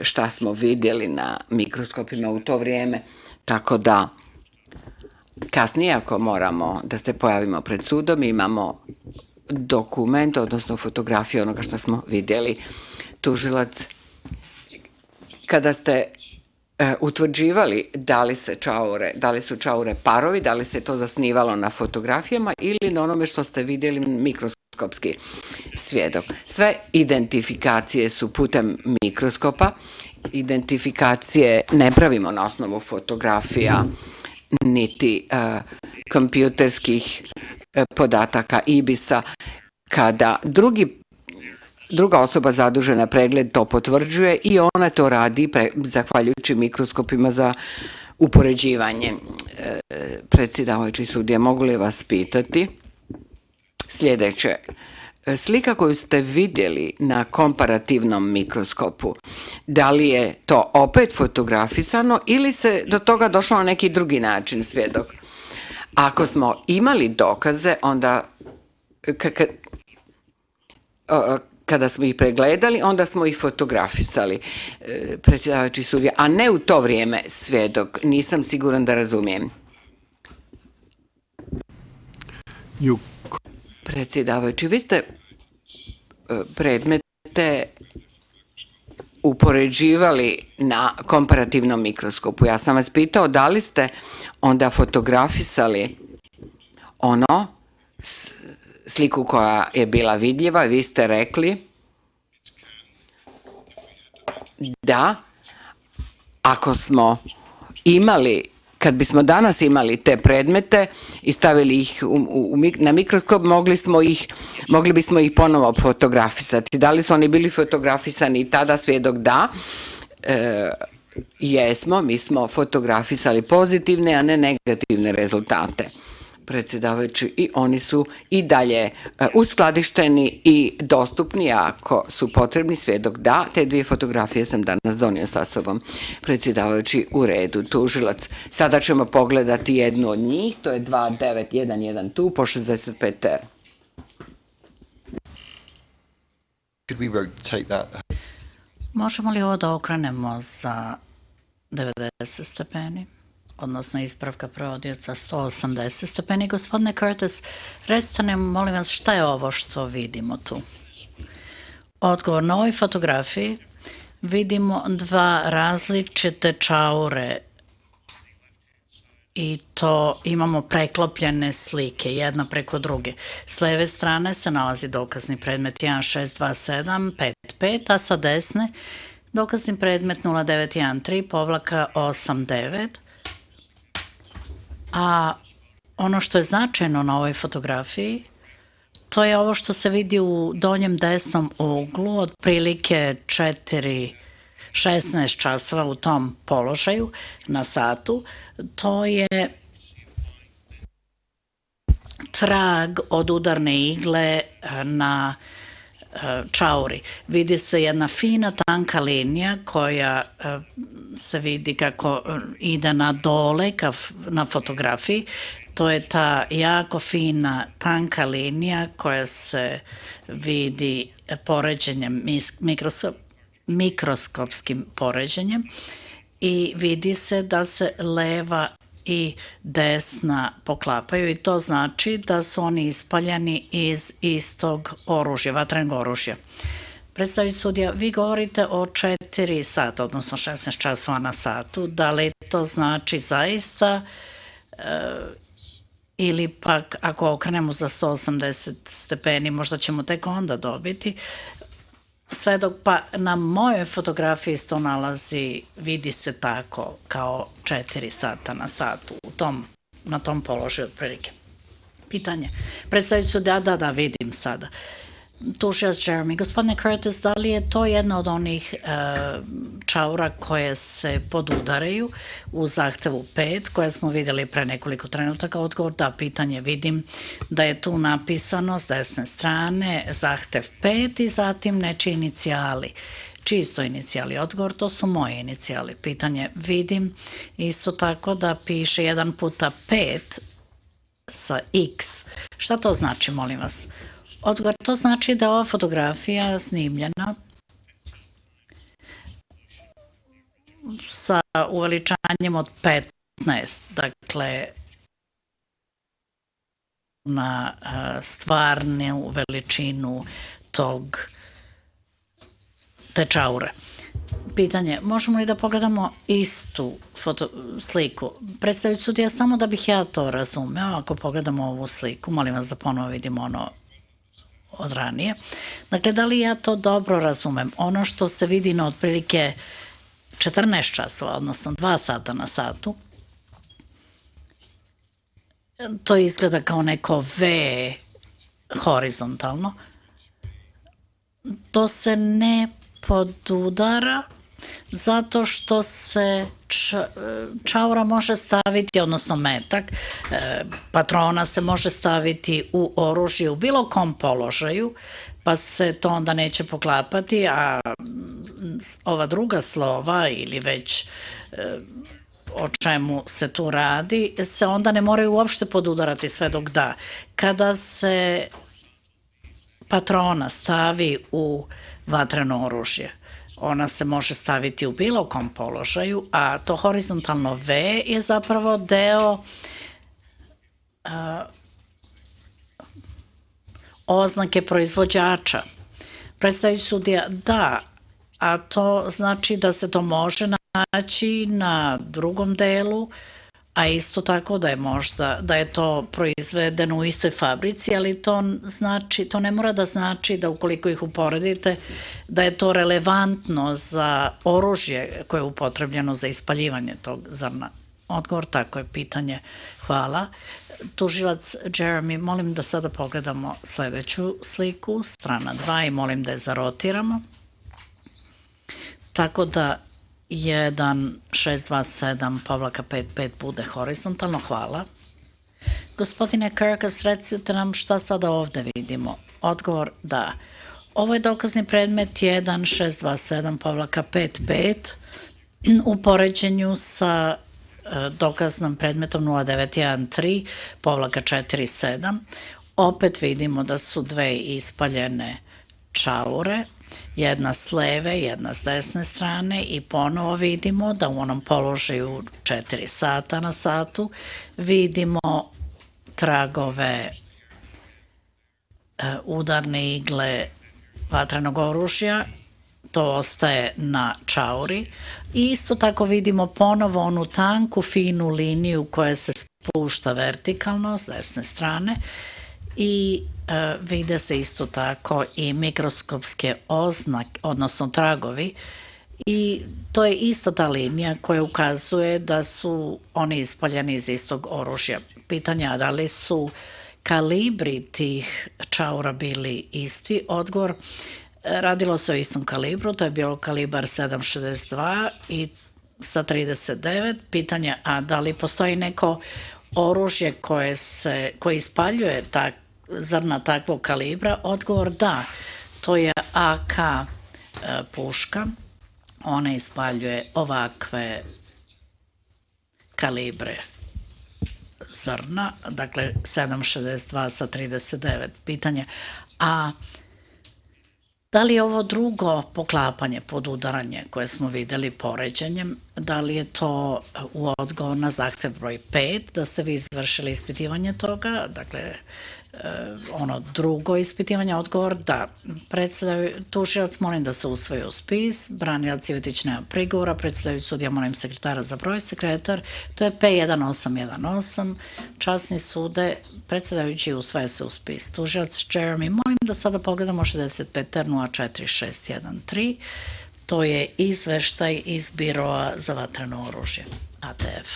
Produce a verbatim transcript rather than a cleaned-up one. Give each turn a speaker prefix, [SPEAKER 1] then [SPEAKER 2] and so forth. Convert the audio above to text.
[SPEAKER 1] šta smo vidjeli na mikroskopima u to vrijeme, tako da kasnije ako moramo da se pojavimo pred sudom imamo dokument, odnosno fotografiju onoga što smo vidjeli. Tužilac, kada ste utvrđivali da li se čaure, da li su čaure parovi, da li se to zasnivalo na fotografijama ili na onome što ste vidjeli mikroskopski svjedok. Sve identifikacije su putem mikroskopa, identifikacije ne pravimo na osnovu fotografija niti uh, kompjuterskih uh, podataka ibisa. Kada drugi druga osoba zadužena pregled to potvrđuje i ona to radi pre, zahvaljujući mikroskopima za upoređivanje. E, predsjedavajući sudija, mogu li vas pitati sljedeće? Slika koju ste vidjeli na komparativnom mikroskopu, da li je to opet fotografisano ili se do toga došlo na neki drugi način, svjedok? Ako smo imali dokaze, onda kada smo ih pregledali, onda smo ih fotografisali, predsjedavajući sudija, a ne u to vrijeme, svjedok. Nisam siguran da razumijem.
[SPEAKER 2] You...
[SPEAKER 1] Predsjedavajući, vi ste predmete upoređivali na komparativnom mikroskopu. Ja sam vas pitao da li ste onda fotografisali ono, sliku koja je bila vidljiva. Vi ste rekli da ako smo imali, kad bismo danas imali te predmete i stavili ih u, u, na mikroskop, mogli, smo ih, mogli bismo ih ponovo fotografisati. Da li su oni bili fotografisani i tada, svjedok da? E, jesmo, mi smo fotografisali pozitivne, a ne negativne rezultate. Predsjedavajući, i oni su i dalje uskladišteni i dostupni ako su potrebni, svjedok da, te dvije fotografije sam danas donio sa sobom. Predsjedavajući, u redu. Tužilac, sada ćemo pogledati jednu od njih, to je dva devet jedan jedan tu po šezdeset pet er.
[SPEAKER 3] Možemo li ovo da okrenemo za devedeset stepeni? Odnosno ispravka prevodioca sto osamdeset stepeni. Gospodine Curtis, recite nam, molim vas, šta je ovo što vidimo tu? Odgovor, na ovoj fotografiji vidimo dva različite čaure i to imamo preklopljene slike, jedna preko druge. S leve strane se nalazi dokazni predmet jedan šest dva sedam pet pet, a sa desne dokazni predmet nula devet jedan tri povlaka osam devet. A ono što je značajno na ovoj fotografiji, to je ovo što se vidi u donjem desnom uglu, otprilike četiri šesnaest časova u tom položaju na satu. To je trag od udarne igle na čauri. Vidi se jedna fina tanka linija koja se vidi kako ide na dole na fotografiji. To je ta jako fina tanka linija koja se vidi poređenjem, mikroskopskim poređenjem i vidi se da se leva i desna poklapaju i to znači da su oni ispaljeni iz istog oružja, vatrenog oružja. Predstavljajući sudija, vi govorite o četiri sata, odnosno šesnaest časova na satu. Da li to znači zaista e, ili pak ako okrenemo za sto osamdeset stepeni možda ćemo tek onda dobiti? Sve dok pa na mojoj fotografiji to nalazi, vidi se tako kao četiri sata na satu u tom, na tom položaju otprilike. Pitanje. Predstavit ću da, da, da, vidim sada. Tužilac Jeremy. Gospodine Curtis, da li je to jedna od onih e, čaura koje se podudaraju u zahtevu pet, koje smo vidjeli pre nekoliko trenutaka? Odgovor da, pitanje. Vidim da je tu napisano s desne strane zahtev pet i zatim nečiji inicijali. Čisto inicijali. Odgovor, to su moji inicijali. Pitanje. Vidim isto tako da piše jedan puta pet sa x. Šta to znači, molim vas? Odgovor, to znači da ova fotografija snimljena sa uveličanjem od petnaest, dakle na stvarnu veličinu tog te čaure. Pitanje, možemo li da pogledamo istu foto, sliku? Predstavit sudija, samo da bih ja to razumeo, ako pogledamo ovu sliku, molim vas da ponovo vidimo ono od ranije. Dakle, da li ja to dobro razumem? Ono što se vidi na otprilike četrnaest časova, odnosno dva sata na satu, to izgleda kao neko V horizontalno. To se ne podudara zato što se čaura može staviti, odnosno metak, patrona se može staviti u oružje u bilo kom položaju, pa se to onda neće poklapati, a ova druga slova ili već o čemu se tu radi, se onda ne moraju uopšte podudarati sve dok da. Kada se patrona stavi u vatreno oružje, ona se može staviti u bilo kom položaju, a to horizontalno V je zapravo deo a, oznake proizvođača. Predstavljajući sudija, da, a to znači da se to može naći na drugom delu, a isto tako da je možda, da je to proizvedeno u istoj fabrici, ali to znači, to ne mora da znači da ukoliko ih uporedite, da je to relevantno za oružje koje je upotrebljeno za ispaljivanje tog zrna. Odgovor, tako je, pitanje. Hvala. Tužilac Jeremy, molim da sada pogledamo sledeću sliku, strana dva, i molim da je zarotiramo. Tako da jedan šest dva sedam povlaka pet pet bude horizontalno. Hvala. Gospodine Kirkas, recite nam šta sada ovde vidimo. Odgovor, da. Ovo je dokazni predmet jedan šest dva sedam povlaka pet pet u poređenju sa dokaznom predmetom nula devet jedan tri povlaka četiri sedam. Opet vidimo da su dve ispaljene čaure, jedna s leve, jedna s desne strane, i ponovo vidimo da u onom položaju četiri sata na satu vidimo tragove udarne igle vatrenog oružja, to ostaje na čauri, i isto tako vidimo ponovo onu tanku, finu liniju koja se spušta vertikalno s desne strane, i vide se isto tako i mikroskopske oznake, odnosno tragovi, i to je ista ta linija koja ukazuje da su oni ispaljeni iz istog oružja. Pitanja, da li su kalibri tih čaura bili isti? Odgovor, radilo se o istom kalibru, to je bilo kalibar sedam šezdeset dva i sa trideset devet. Pitanje, a da li postoji neko oružje koje se, koje ispaljuje tak, zrna takvog kalibra? Odgovor, da, to je A K e, puška, ona ispaljuje ovakve kalibre zrna, dakle sedam šezdeset dva sa trideset devet. Pitanje, a da li je ovo drugo poklapanje, podudaranje koje smo videli poređenjem, da li je to u odgovor na zahtev broj pet, da ste vi izvršili ispitivanje toga, dakle ono drugo ispitivanje? Odgovor, da. Tužilac, molim da se usvoji u spis, branilac Ivetić nema prigovora, predstavljajući sudija, molim sekretara za broj, sekretar, to je P jedan osam jedan osam, časni sude, predstavljajući usvaja se u spis. Tužilac Jeremy, molim da sada pogledamo šezdeset pet R nula četiri šest jedan tri, to je izveštaj iz biroa za vatreno oružje, A T F.